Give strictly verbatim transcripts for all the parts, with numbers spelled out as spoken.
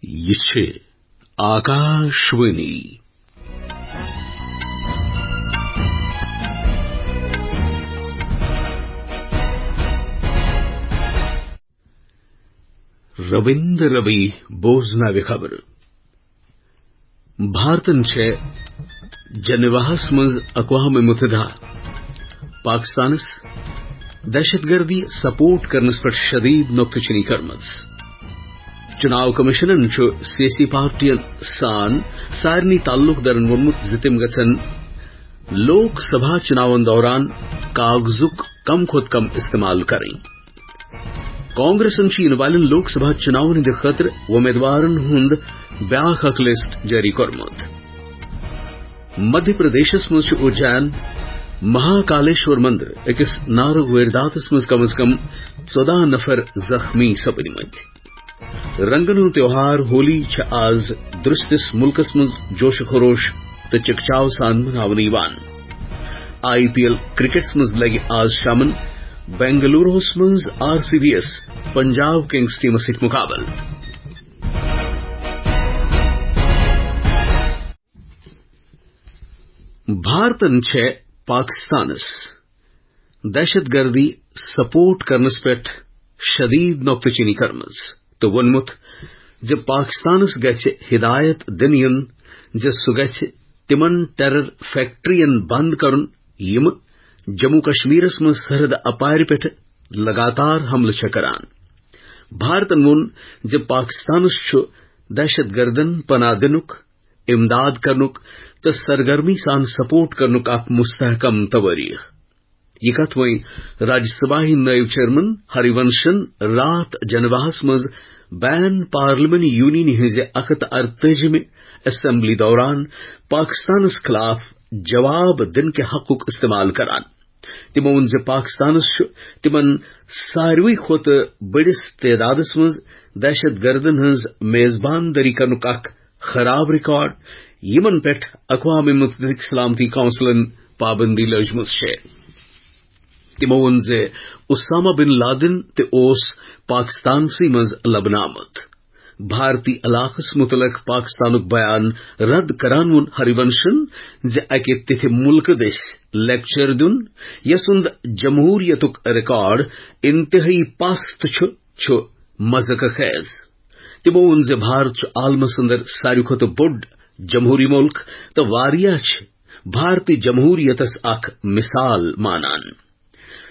یہِ چھِ آکاشوانی۔ رٔوِنٛد رٔوی بوزناوِ خبرٕ۔ بھارتن چھےٚ جنیواہس منٛز اقوام متحدہ پاکستانس دہشت گردی سپورٹ کرنس پٮ۪ٹھ شدید نکتہٕ چینی کٔرمٕژ۔ چناو کمیشنن چھُ سیٲسی پارٹین سان سارنٕے تعلق دارن ووٚنمُت زِ تِم گژھن لوک سبھا چناون دوران کاغذُک کم کھۄتہٕ کم استعمال کرٕنۍ۔ کانگریسن چھُ یِنہٕ والٮ۪ن لوک سبھا چناون ہٕنٛدِ خٲطرٕ وۄمیدوارن ہُنٛد بیٛاکھ اکھ لسٹ جٲری کوٚرمُت۔ مدھیہ پردیشس منٛز چھُ اُجین مہاکالیشور مندر أکِس نارٕ وٲرۍداتس منٛز کم از کم ژۄداہ نفر زخمی سپٕدمٕتۍ۔ رنگن ہُنٛد تیوہار ہولی چھِ آز درستِس مُلکس منٛز جوش و خروش تہٕ چکچاو سان مناونہٕ یِوان۔ آئی پی ایل کرکٹس منٛز لگہِ آز شامن بنگلوروہس منٛز آر سی بی یس پنجاب کنگز ٹیمس سۭتۍ مقابلہٕ۔ بھارتن چھےٚ پاکستانس دہشت گردی سپورٹ کرنس پٮ۪ٹھ شدید نکتہٕ چینی کٔرمٕژ تہٕ ووٚنمُت زِ پاکستانس گژھِ ہدایت دِنہٕ یُن زِ سُہ گژھِ تِمن ٹیرر فیکٹرین بند کرُن، یِم جموں کشمیرس منٛز سرحد اپارِ پٮ۪ٹھ لگاتار حملہٕ چھےٚ کران۔ بھارتن ووٚن زِ پاکستانس چھُ دہشت گردن پناہ دِنُک، امداد کرنُک تہٕ سرگرمی سان سپورٹ کرنُک اکھ مستحکم توٲریخ۔ یہِ کتھ وۄنۍ راجیہ سبھا ہٕنٛدۍ نٲیِب چیئرمین ہری ونشن راتھ جنیواہس منٛز بین پارلیمنٹ یونینہِ ہٕنٛزِ اکھ ہتھ ارتٲجِمہِ اسمبلی دوران پاکستانس خلاف جواب دِنہٕ کہِ حقُک استعمال کران۔ تِمو ووٚن زِ پاکستانس چھُ تِمن ساروٕے کھۄتہٕ بٔڑِس تعدادس منٛز دہشت گردن ہٕنٛز میزبان دٲری کرنُک اکھ خراب ریکارڈ، یِمن پٮ۪ٹھ اقوام متحدٕک سلامتی کونسلن پابندی لٲجمٕژ چھےٚ۔ تِمو ووٚن زِ اسامہ بن لادن تہِ اوس پاکستانسٕے منٛز لبنہٕ آمُت۔ بھارتی علاقس متعلق پاکستانُک بیان رد کران ووٚن ہری ونشن زِ اکہِ تِتھہِ مُلکہٕ دٔسۍ لیکچر دیُن، یسُنٛد جمہوریتُک ریکارڈ انتہٲئی پست چھُ، چھُ مذاق خیز۔ تِمو ووٚن زِ بھارت چھُ عالمس اندر ساروی کھۄتہٕ بوٚڑ جمہوری مُلک تہٕ واریاہ چھِ بھارتی جمہوریتس اکھ مثال مانان۔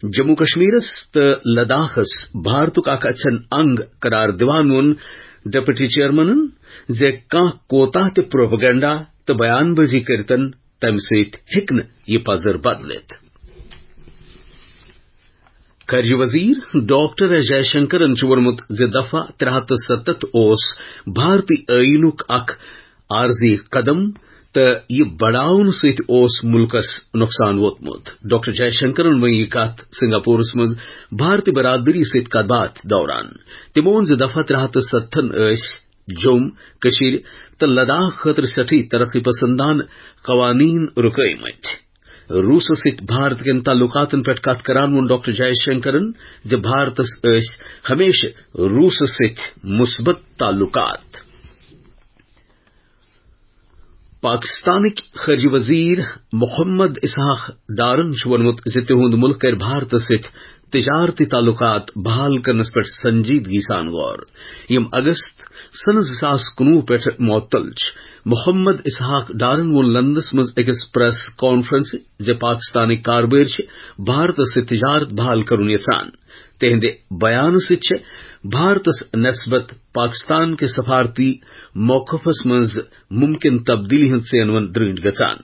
جموں کشمیرس تہٕ لداخس بھارتُک اکھ اَژھن انگ قرار دِوان ووٚن ڈپٹی چیئرمینن زِ کانٛہہ کوتاہ تہِ پروپیگنڈا تہٕ بیان بازی کٔرتن، تمہِ سۭتۍ ہیٚکہِ نہٕ یہِ پزر بدلِتھ۔ خارجہ وزیر ڈاکٹر ایس جے شنکرن چھُ ووٚنمُت زِ دفعہ ترٛےٚ ہتھ تہٕ ستتھ اوس بھارتی ٲییٖنُک اکھ عارضی قدم تہٕ یہِ بڑاونہٕ سۭتۍ اوس مُلکس نۄقصان ووتمُت۔ ڈاکٹر جے شنکرن ووٚن یہِ کتھ سنگاپورس منٛز بھارتی برادری سۭتۍ کتھ باتھ دوران۔ تِمو ووٚن زِ دفعہ ترٛےٚ ہتھ تہٕ ستتھن ٲسۍ جوٚم، کٔشیٖر تہٕ لداخ خٲطرٕ سٮ۪ٹھٕے ترقی پسندانہٕ قوانین رُکٲومٕتۍ۔ روٗسس سۭتۍ بھارت کٮ۪ن تعلقاتن پٮ۪ٹھ کتھ کران ووٚن ڈاکٹر جے شنکرن زِ بھارتس ٲسۍ ہمیشہٕ روٗسس سۭتۍ مثبت تعلقات۔ پاکستانٕکۍ خارجہ وزیر محمد اسحاق ڈارن چھُ ووٚنمُت زِ تِہُنٛد مُلک کرِ بھارتس سۭتۍ تجارتی تعلقات بحال کرنس پٮ۪ٹھ سنجیدگی سان غور۔ یِم اگست سنہٕ زٕ ساس کُنوُہ پٮ۪ٹھ معطل چھِ۔ محمد اسحاق ڈارن ووٚن لندنس منٛز أکِس پریس کانفرنسہِ زِ پاکستانٕکۍ کاربٲرۍ چھِ بھارتس سۭتۍ تجارت بحال کرُن یژھان۔ تِہنٛدِ بیانہٕ سۭتۍ چھِ بھارتس نسبت پاکستان کِس سفارتی موقفس منٛز ممکن تبدیلی ہٕنٛز ژینوَن درٛٲنٛٹھ گژھان۔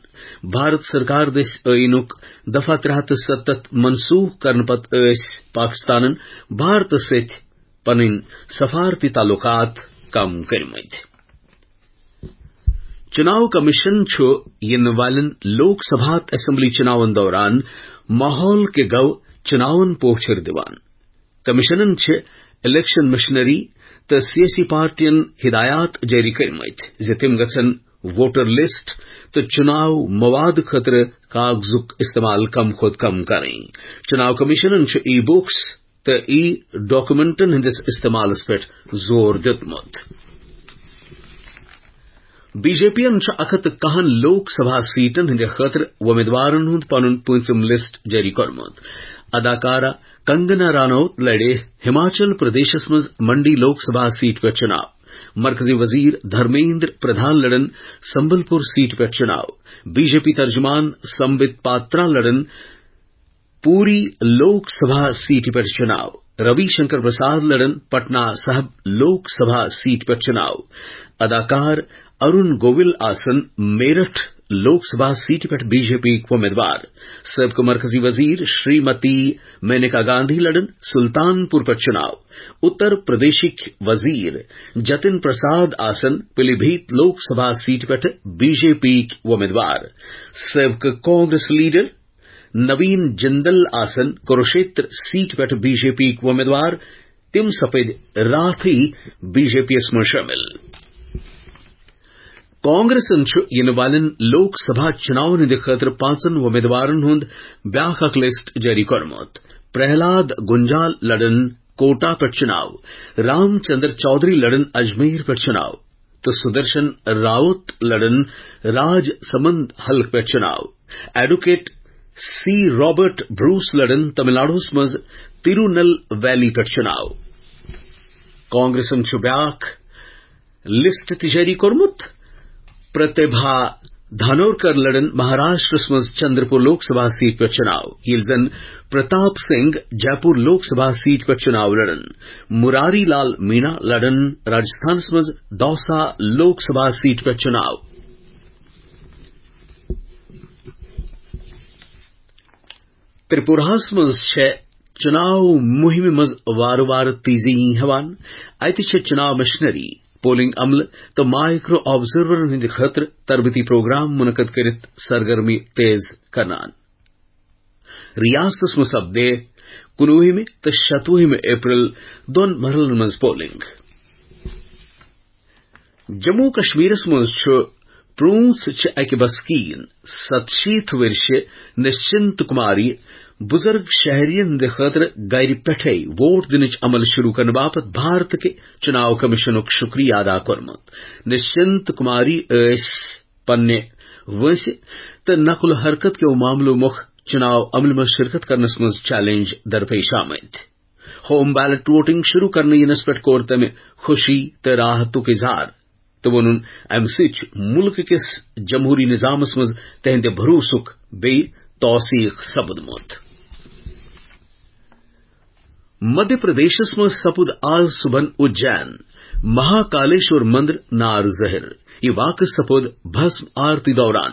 بھارت سرکار دٔسۍ ٲییٖنُک دفعہ ترٛےٚ ہتھ تہٕ ستتھ منسوخ کرنہٕ پتہٕ ٲسۍ پاکستانن بھارتس سۭتۍ پنٕنۍ سفارتی تعلقات کم کٔرمٕتۍ۔ چناو کمیشن چھُ یِنہٕ والٮ۪ن لوک سبھا تہٕ اسمبلی چناون دوران ماحول کہِ گو چناون پوچھر دِوان۔ کمیشنن چھِ الیکشن مشنری تہٕ سیٲسی پارٹین ہدایات جٲری کٔرمٕتۍ زِ تِم گژھن ووٹر لسٹ تہٕ چناو مواد خٲطرٕ کاغذُک استعمال کم کھۄتہٕ کم کرٕنۍ۔ چناو کمیشنن چھُ ای بکس تہٕ ای ڈاکومنٹن ہٕنٛدِس استعمالس پٮ۪ٹھ زور دیُتمُت۔ بی جے پی یَن چھُ اکھ ہتھ تہٕ کاہن لوک سبھا سیٹن ہٕنٛدِ خٲطرٕ وۄمیدوارن ہُنٛد پنُن پوٗنٛژِم لسٹ جٲری کوٚرمُت۔ اداکارہ کنگنا رانوت لڑِ ہماچل پردیشس منٛز منڈی لوک سبھا سیٹ پٮ۪ٹھ چُناو۔ مرکزی وزیر دھرمیندر پردھان لڑن سمبل پور سیٹ پٮ۪ٹھ چُناو۔ بی جے پی ترجمان سمبت پاترا لڑن پوری لوک سبھا سیٹ پٮ۪ٹھ چُناو۔ روی شنکر پرساد لڑن پٹنہ صاحب لوک سبھا سیٹ پٮ۪ٹھ چُناو۔ اداکار ارون گوول آسن میرٹھ لوک سبھا سیٹ پٮ۪ٹھ بی جے پی وۄمیدوار۔ سٲبقہٕ مرکزی وزیر شریمتی مینیکا گاندھی لڑن سلطان پور پٮ۪ٹھ چُناو۔ اتر پردیشٕکۍ وزیر جتن پرساد آسن پلی بھیت لوک سبھا سیٹ پٮ۪ٹھ بی جے پی وۄمیدوار۔ سٲبقہٕ کانگریس لیڈر نوین جندل آسن کروشیتر سیٹ پٮ۪ٹھ بی جے پی وۄمیدوار۔ تِم سپٕدۍ راتھٕے بی جے پی یَس منٛز شٲمِل۔ کانگریسن چھُ یِنہٕ والٮ۪ن لوک سبھا چُناون ہٕنٛدِ خٲطرٕ پانٛژن وۄمیدوارن ہُنٛد بیٛاکھ اکھ لسٹ جٲری کوٚرمُت۔ پرہلاد گنجال لڑن کوٹا پٮ۪ٹھ چُناو۔ رام چندر چودھری لڑن اجمیر پٮ۪ٹھ چُناو تہٕ سدرشن راوت لڑن راج سمند حلقہٕ پٮ۪ٹھ چُناو۔ ایڈوکیٹ سی رابرٹ بروس لڑن تمل ناڈوَس منٛز تروٗنل ویلی پٮ۪ٹھ چُناو۔ کانگریسن چھُ بیٛاکھ لسٹ تہِ جٲری کوٚرمُت۔ پرتیبھا دھانورکر لڑن مہاراشٹرس منٛز چندرپور لوک سبھا سیٹ پٮ۪ٹھ چُناو، ییٚلہِ زن پرتاپ سنگھ جے پور لوک سبھا سیٹ پٮ۪ٹھ چُناو لڑن۔ مراری لال مینا لڑن راجستھانس منٛز دوسہ لوک سبھا سیٹ پٮ۪ٹھ چُناو۔ ترپوراہس منٛز چھےٚ چُناو مُہِمہِ منٛز وارٕ وارٕ تیزی یِنۍ ہٮ۪وان۔ اتہِ چھےٚ چُناو مشنری، پولنگ عملہٕ تہٕ مایکرو آبزرورن ہٕنٛدِ خٲطرٕ تربیتی پروگرام منعقد کٔرِتھ سرگرمی تیز کرنان۔ ریاستس منٛز سپدِ کُنوُہمہِ تہٕ شتوُہمہِ اپریل دۄن مرحلن منٛز پولنگ۔ جموں کشمیرس منٛز چھُ پرٛونٛژھ چھِ اکہِ بسکیٖن ستشیٖتھ ؤرشہِ نشچنت کماری بزرگ شہرین ہٕنٛدِ خٲطرٕ گرِ پٮ۪ٹھے ووٹ دِنٕچ عمل شروع کرنہٕ باپتھ بھارت کہِ چُناو کمیشنُک شُکریہ ادا کوٚرمُت۔ نشچنت کماری ٲسۍ پننہِ وٲنٛسہِ تہٕ نقل و حرکت کیو معاملو مۄکھ چُناو عملہِ منٛز شرکت کرنس منٛز چیلنج درپیش آمٕتۍ۔ ہوم بیلٹ ووٹنگ شروع کرنہٕ ینس پٮ۪ٹھ کوٚر تٔمۍ خوشی تہٕ راحتُک اظہار تہٕ ووٚنُن، امہِ سۭتۍ چھُ مُلکہٕ کِس جمہوٗری نظامس منٛز تِہنٛدِ بھروسُک بیٚیہِ توثیق سپُدمُت۔ مدھیہ پردیشس منٛز سپُد آز صبحن اُجین مہاکالیشور مندر نار ظٲہِر۔ یہِ واقعہٕ سپُد بھسم آرتی دوران۔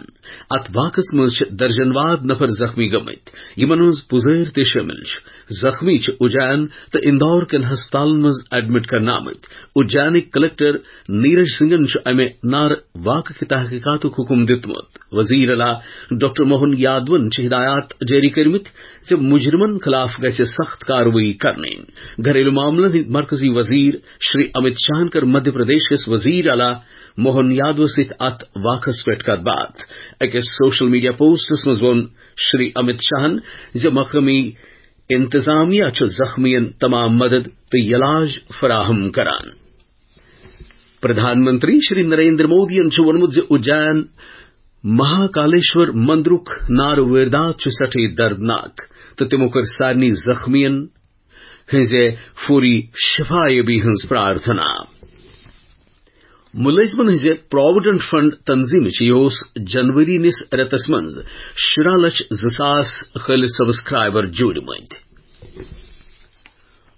اتھ واقعس منٛز چھِ درجن واد نفر زخمی گٔمٕتۍ، یِمن منٛز پُزٲرۍ تہِ شٲمِل چھِ۔ زخمی چھِ اُجین تہٕ اندور کٮ۪ن ہسپتالن منٛز ایڈمٹ کرنہٕ آمٕتۍ۔ اُجینٕکۍ کلکٹر نیرج سنگھن چھُ امہِ نارٕ واقعہٕ کہِ تحقیقاتُک حکم دِیُتمُت۔ وزیر اعلیٰ ڈاکٹر موہن یادون چھِ ہدایات جٲری کٔرمٕتۍ زِ مجرمن خلاف گژھِ سخت کاروٲیی کرنہٕ یِنۍ۔ گھریلو معاملن ہٕنٛدۍ مرکزی وزیر شری امت شاہن کٔر مدھیہ پردیش کِس وزیر اعلیٰ موہن یادوس سۭتۍ اتھ واقعس پٮ۪ٹھ کتھ باتھ۔ أکِس سوشل میڈیا پوسٹس منٛز ووٚن شری امت شاہن زِ مقٲمی انتظامیہ چھُ زخمیَن تمام مدد تہٕ علاج فراہم کران۔ پردھان منتری شری نریندر مودیَن چھُ ووٚنمُت زِ اُجین مہاکالیشور مندرُک نارٕ وٲردات چھُ سٮ۪ٹھٕے دردناک تہٕ تِمو کٔر سارنٕے زخمیَن ہٕنٛزِ فوری شفا یابی ہٕنٛز پرارتھنا۔ مُلٲزمَن ہٕنٛزِ پراویڈنٹ فنڈ تنظیمٕچ یہِ اوس جنوری نِس رٮ۪تس منٛز شُراہ لچھ زٕ ساس خٲلص سبسکرائبر جوٗڑمٕتۍ۔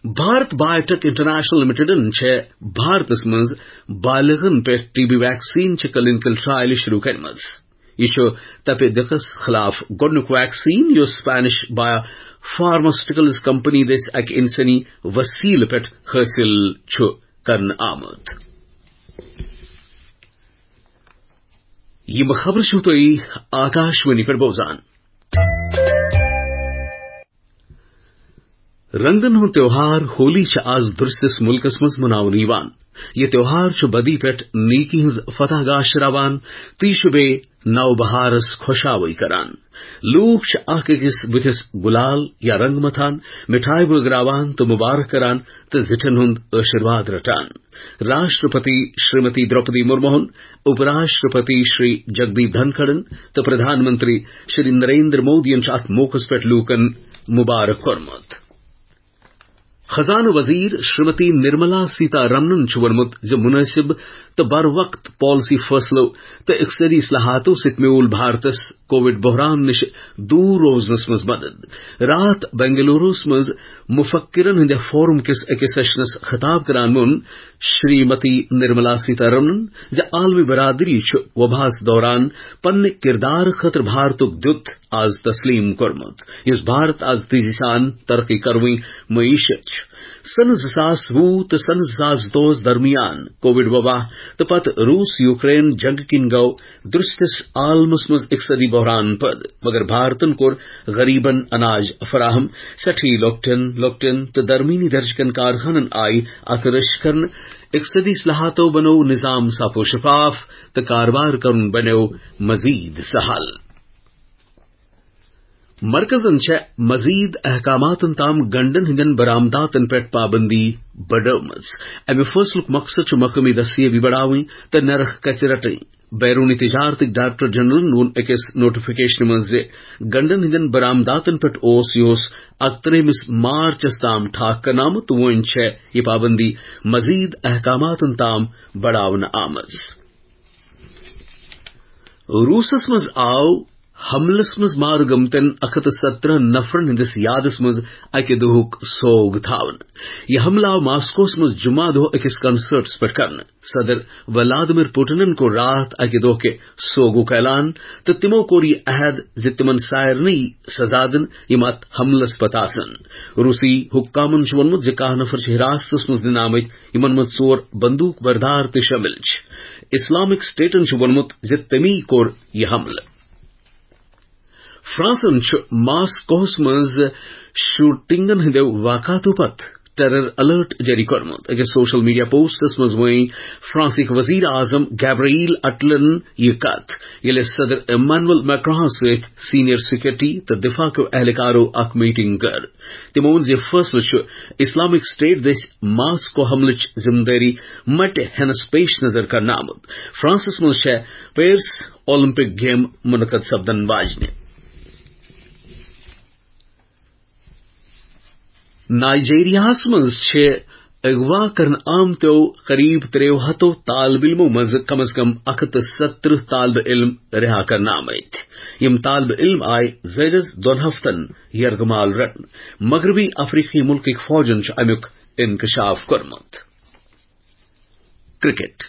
بھارت بایوٹیک انٹرنیشنل لمیٹڈن چھےٚ بھارتس منٛز بالغن پٮ۪ٹھ ٹی بی ویکسین چہِ کلینیکل ٹرائل شروع کرمٕژ۔ یہِ چھُ تپہِ دقس خلاف گۄڈٕنیُک ویکسین یُس اسپینش بایو فارماسیوٹیکلز کمپنی دٔسۍ اکہِ انسٲنی وسیلہٕ پٮ۪ٹھ حٲصِل چھُ کرنہٕ آمُت۔ یِم خبرٕ چھِو تُہۍ آکاشوانی پٮ۪ٹھ بوزان۔ رنگن ہُنٛد تیوہار ہولی چھُ آز درستس مُلکس منٛز مناونہٕ یِوان۔ یہِ تیوہار چھُ بدی پٮ۪ٹھ نیکی ہٕنٛز فتح گاش راوان تہٕ یہِ چھُ بیٚیہِ نو بہارس خۄشاوٕے کران۔ لوٗکھ چھِ اکھ أکِس بٕتھِس گُلال یا رنٛگ متھان، مِٹھایہِ بٲگراوان تہٕ مُبارک کران تہٕ زِٹھٮ۪ن ہُنٛد آشیٖرواد رٹان۔ راشٹرپتی شریمتی دروپدی مرموہن، اُپ راشٹرپتی شری جگدیپ دھنکھڑن تہٕ پردھان منتری شری نریندر مودیَن چھُ اتھ موقعس پٮ۪ٹھ لوٗکن مُبارک کوٚرمُت۔ خزانہٕ وزیر شریمتی نرملا سیتا رمنن چھُ ووٚنمُت زِ مُنٲسِب تہٕ بر وقت پالیسی فٲصلو تہٕ اقتصٲدی اصلاحاتو سۭتۍ میوٗل بھارتس کووڈ بحران نِش دوٗر روزنس منٛز مدد۔ راتھ بنگلوروس منٛز مفکرن ہٕنٛدِ فورم کِس أکِس سیشنس خطاب کران ووٚن شریمتی نرملا سیتا رمنن زِ عالمی برادری چھُ وباہس دوران پننہِ کردارٕ خٲطرٕ بھارتُک دیُت از تسلیم کوٚرمُت، یُس بھارت از تیزی سان ترقی کروٕنۍ معیشت چھُ۔ سنہٕ زٕ ساس وُہ تہٕ سنہٕ زٕ ساس زٕتووُہس درمیان کووڈ وبا تہٕ پتہٕ روٗس یوکرین جنگہٕ کِنۍ گوٚو درستِس عالمس منٛز اقتصٲدی بحران پٲدٕ، مگر بھارتن کوٚر غریبن اناج فراہم، سٮ۪ٹھٕے لۄکٹٮ۪ن لۄکٹٮ۪ن تہٕ درمیٲنی درجہٕ کٮ۪ن کارخانن آیہِ اتھ رٔچھ کرنہٕ، اقتصٲدی اصلاحاتو بنوو نظام صاف و شفاف تہٕ کاربار کرُن بنیو مزید سہل۔ مرکزن چھےٚ مزید احکاماتن تام گنڈن ہٕنٛدٮ۪ن برآمداتن پٮ۪ٹھ پابندی بڑٲومٕژ۔ امہِ فٲصلُک مقصد چھُ مقٲمی دستیٲبی بڑاوٕنۍ تہٕ نرخ کچہِ رٹٕنۍ۔ بیرونی تجارتٕکۍ ڈائریکٹر جنرلن ووٚن أکِس نوٹیفکیشنہِ منٛز زِ گنڈن ہٕنٛدٮ۪ن برآمداتن پٮ۪ٹھ اوس یہِ اوس اکترٕہمِس مارچس تام ٹھاک کرنہٕ آمُت تہٕ وۄنۍ چھےٚ یہِ پابندی مزید احکاماتن تام بڑاونہٕ آمٕژ۔ روٗسس منٛز آو حملس منٛز مارٕ گٔمتٮ۪ن اکھ ہتھ تہٕ ستترہ نفرن ہٕنٛدِس یادس منٛز اکہِ دۄہُک سوگ تھاونہٕ۔ یہِ حملہٕ آو ماسکوس منٛز جمعہ دۄہ أکِس کنسرٹس پٮ۪ٹھ کرنہٕ۔ صدر ولادیمیر پوٹنن کوٚر راتھ اکہِ دۄہ کہِ سوگُک اعلان تہٕ تِمو کوٚر یہِ عہد زِ تِمن سارنٕے سزا دِن، یِم اتھ حملس پتہٕ آسن۔ روٗسی حکامن چھُ ووٚنمُت زِ کاہ نفر چھِ حراستس منٛز نِنہٕ آمٕتۍ، یِمن منٛز ژور بندوٗق بردار تہِ شٲمِل چھِ۔ اسلامک سٹیٹن چھُ ووٚنمُت زِ تٔمی کوٚر یہِ حملہٕ۔ فرانسن چھُ ماسکوہس منٛز شوٹنگن ہٕنٛدیو واقعاتو پتہٕ ٹیرر الرٹ جٲری کوٚرمُت۔ أکِس سوشل میڈیا پوسٹس منٛز ؤنۍ فرانسٕکۍ وزیر اعظم گیبریل اٹلن یہِ کتھ، ییٚلہِ صدر ایمانوئل میکرونس سۭتۍ سینئر سیکورٹی تہٕ دفاع کیو اہلکارو اکھ میٹنگ کٔر۔ تِمو ووٚن زِ فٲصلہٕ چھُ اسلامک سٹیٹ دٔسۍ ماسکو حملٕچ ذمہٕ دٲری مٹہِ ہینس پیش نظر کرنہٕ آمُت۔ فرانسس منٛز چھےٚ پیرس اولمپک گیم منعقد سپدن واجنہِ۔ نائیجیریاہس منٛز چھِ اغوا کرنہٕ آمتیو قریب ترٛیٚیو ہتو طالب علمو منٛز کم از کم اکھ ہتھ تہٕ ستترہ طالب علم رہا کرنہٕ آمٕتۍ۔ یِم طالب علم آیہِ زٲیدس دۄن ہفتن یرغمال رٹنہٕ۔ مغربی افریقی ملکٕکۍ فوجن چھُ امیُک انکشاف کوٚرمُت۔ کرکٹ۔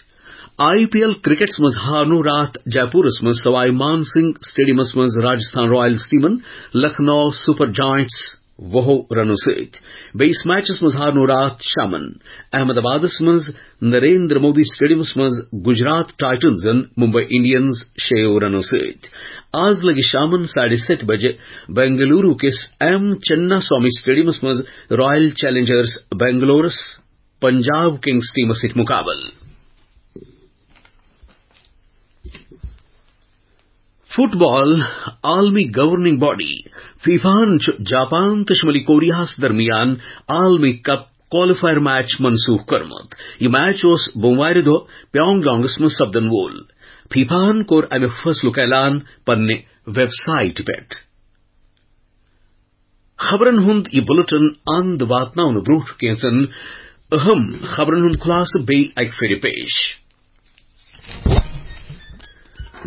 آئی پی ایل کرکٹس منٛز ہارنو راتھ جے پورس منٛز سوائی مان سنگھ سٹیڈیمس منٛز راجستھان رائلز ٹیمن لکھنؤ سپر جائنٹس وُہو رنو سۭتۍ۔ بیٚیِس میچس منٛز ہارنو راتھ شامن احمد آبادس منٛز نریندر مودی سٹیڈیمس منٛز گجرات ٹائٹنزن ممبئی انڈینز شیٚیو رنو سۭتۍ۔ آز لگہِ شامن ساڑِ ستہِ بجہِ بنگلورو کِس ایم چنا سوامی سٹیڈیمس منٛز رائل چیلنجرز بنگلورس پنجاب کنگز ٹیمس سۭتۍ مقابلہٕ۔ فٹ بال عالمی گورننگ باڈی فیفاہن چھُ جاپان تہٕ شمالی کوریاہس درمیان عالمی کپ کوالیفائر میچ منسوخ کوٚرمُت۔ یہِ میچ اوس بوموارِ دۄہ پیونگ یانگس منٛز سپدن وول۔ فیفاہن کوٚر امہِ فٲصلُک اعلان پننہِ ویب سائٹ پٮ۪ٹھ۔ خبرن ہُنٛد یہِ بُلٹن اند واتناونہٕ برٛونٛہہ کینٛژن اہم خبرن ہُنٛد خلاصہٕ بیٚیہِ اکہِ پھِرِ پیش۔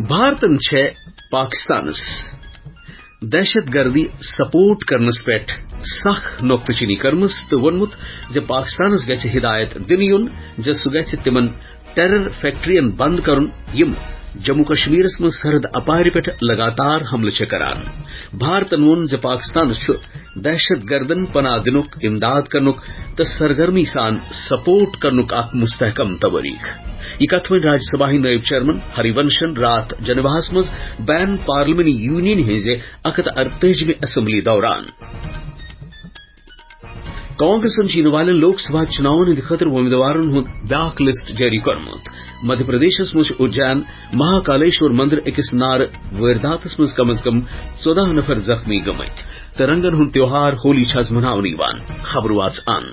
بھارتن چھےٚ پاکستانس دہشت گردی سپورٹ کرنس پٮ۪ٹھ سخ نۄقطہٕ چینی کٔرمٕژ تہٕ ووٚنمُت زِ پاکستانس گژھِ ہدایت دِنہٕ یُن زِ سُہ گژھِ تِمن ٹیرر فیکٹرین بند کرُن، یِم جموں کشمیرس منٛز سرحد اپارِ پٮ۪ٹھ لگاتار حملہٕ چھِ کران۔ بھارتن ووٚن زِ پاکستانس چھُ دہشت گردن پناہ دِنُک، امداد کرنُک تہٕ سرگرمی سان سپورٹ کرنُک اکھ مستحکم توٲریخ۔ یہِ کتھ وۄنۍ راجیہ سبھا ہٕنٛدۍ نٲیِب چیئرمین ہری ونشن راتھ جنیواہس منٛز بین پارلیمنی یونین ہٕنٛزِ اکھ ہتھ ارتٲجِمہِ اسمبلی دوران۔ کانگریسن چھُ یِنہٕ والٮ۪ن لوک سبھا چُناون ہٕنٛدِ خٲطرٕ وۄمیدوارن ہُنٛد بیاکھ لسٹ جٲری کوٚرمُت۔ مدھیہ پردیشس منٛز چھُ اُجین مہاکالیشور مندر أکِس نارٕ وٲرداتس منٛز کم از کم ژۄداہ نفر زخمی گٔمٕتۍ۔ تہٕ رنگن ہُنٛد تیوہار ہولی چھُ آز مناونہٕ یِوان۔ خبر واژ ان۔